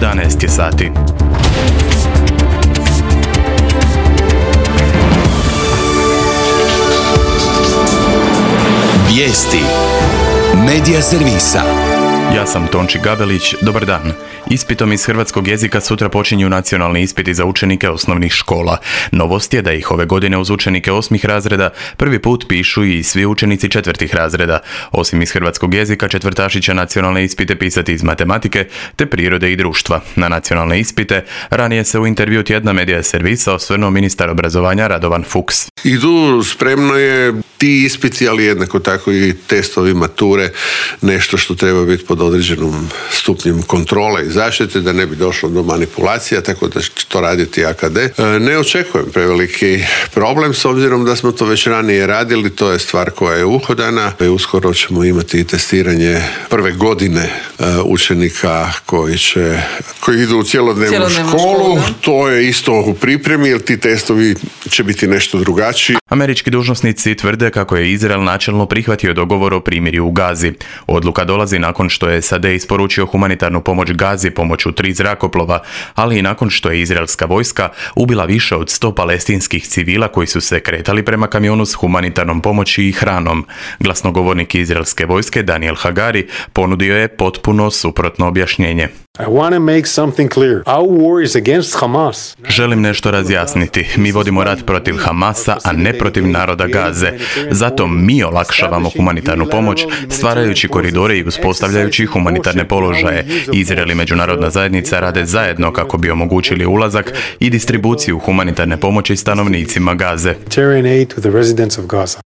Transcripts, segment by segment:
11 je sati. Vijesti Medija servisa. Ja sam Tonči Gabelić, dobar dan. Ispitom iz hrvatskog jezika sutra počinju nacionalni ispiti za učenike osnovnih škola. Novost je da ih ove godine uz učenike 8. razreda prvi put pišu i svi učenici 4. razreda. Osim iz hrvatskog jezika, četvrtaši će nacionalne ispite pisati iz matematike te prirode i društva. Na nacionalne ispite ranije se u intervju tjedna Medija servisa osvrnuo ministar obrazovanja Radovan Fuchs. Idu spremno je ti ispiti, ali jednako tako i testovi mature, nešto što treba biti pod određenom stupnjem kontrole i zaštite, da ne bi došlo do manipulacija, tako da će to raditi AKD. Ne očekujem preveliki problem, s obzirom da smo to već ranije radili, to je stvar koja je uhodana. Uskoro ćemo imati i testiranje prve godine učenika koji idu u cjelodnevnu školu. To je isto u pripremi, jer ti testovi će biti nešto drugačiji. Američki dužnosnici tvrde kako je Izrael načelno prihvatio dogovor o primirju u Gazi. Odluka dolazi nakon što je SAD isporučio humanitarnu pomoć Gazi pomoću 3 zrakoplova, ali i nakon što je izraelska vojska ubila više od 100 palestinskih civila koji su se kretali prema kamionu s humanitarnom pomoći i hranom. Glasnogovornik izraelske vojske Daniel Hagari ponudio je potpuno suprotno objašnjenje. I want to make something clear. Our war is against Hamas. Želim nešto razjasniti. Mi vodimo rat protiv Hamasa, a ne protiv naroda Gaze. Zato mi olakšavamo humanitarnu pomoć, stvarajući koridore i uspostavljajući humanitarne položaje. Izrael i međunarodna zajednica rade zajedno kako bi omogućili ulazak i distribuciju humanitarne pomoći stanovnicima Gaze.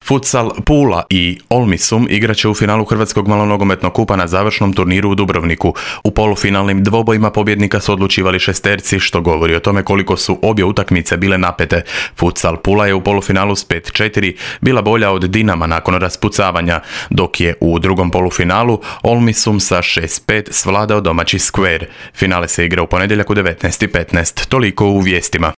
Futsal Pula i Olmisum igraće u finalu Hrvatskog malonogometnog kupa na završnom turniru u Dubrovniku. U polufinalnim dvobojima pobjednika su odlučivali šesterci, što govori o tome koliko su obje utakmice bile napete. Futsal Pula je u polufinalu s 5-4 bila bolja od Dinama nakon raspucavanja, dok je u drugom polufinalu Olmisum sa 6-5 svladao domaći Square. Finale se igra u ponedjeljak u 19:15. Toliko u vijestima.